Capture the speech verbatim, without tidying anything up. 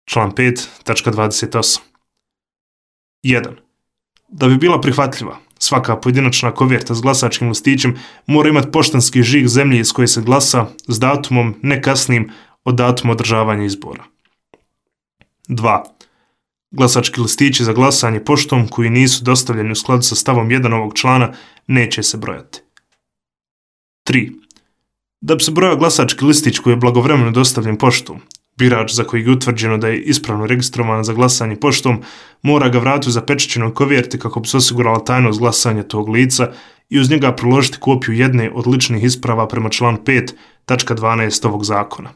Član pet, tačka dvadeset osam. jedan. Da bi bila prihvatljiva, svaka pojedinačna koverta s glasačkim listićem mora imati poštanski žig zemlje iz koje se glasa s datumom ne kasnijim od datuma održavanja izbora. dva. Glasački listići za glasanje poštom koji nisu dostavljeni u skladu sa stavom jedan ovog člana neće se brojati. tri. Da bi se brojao glasački listić koji je blagovremeno dostavljen poštom, birač za kojeg je utvrđeno da je ispravno registrovan za glasanje poštom mora ga vratiti u zapečaćenoj koverti kako bi se osigurala tajnost glasanja tog lica i uz njega priložiti kopiju jedne od ličnih isprava prema članu pet, tačka dvanaest ovog zakona.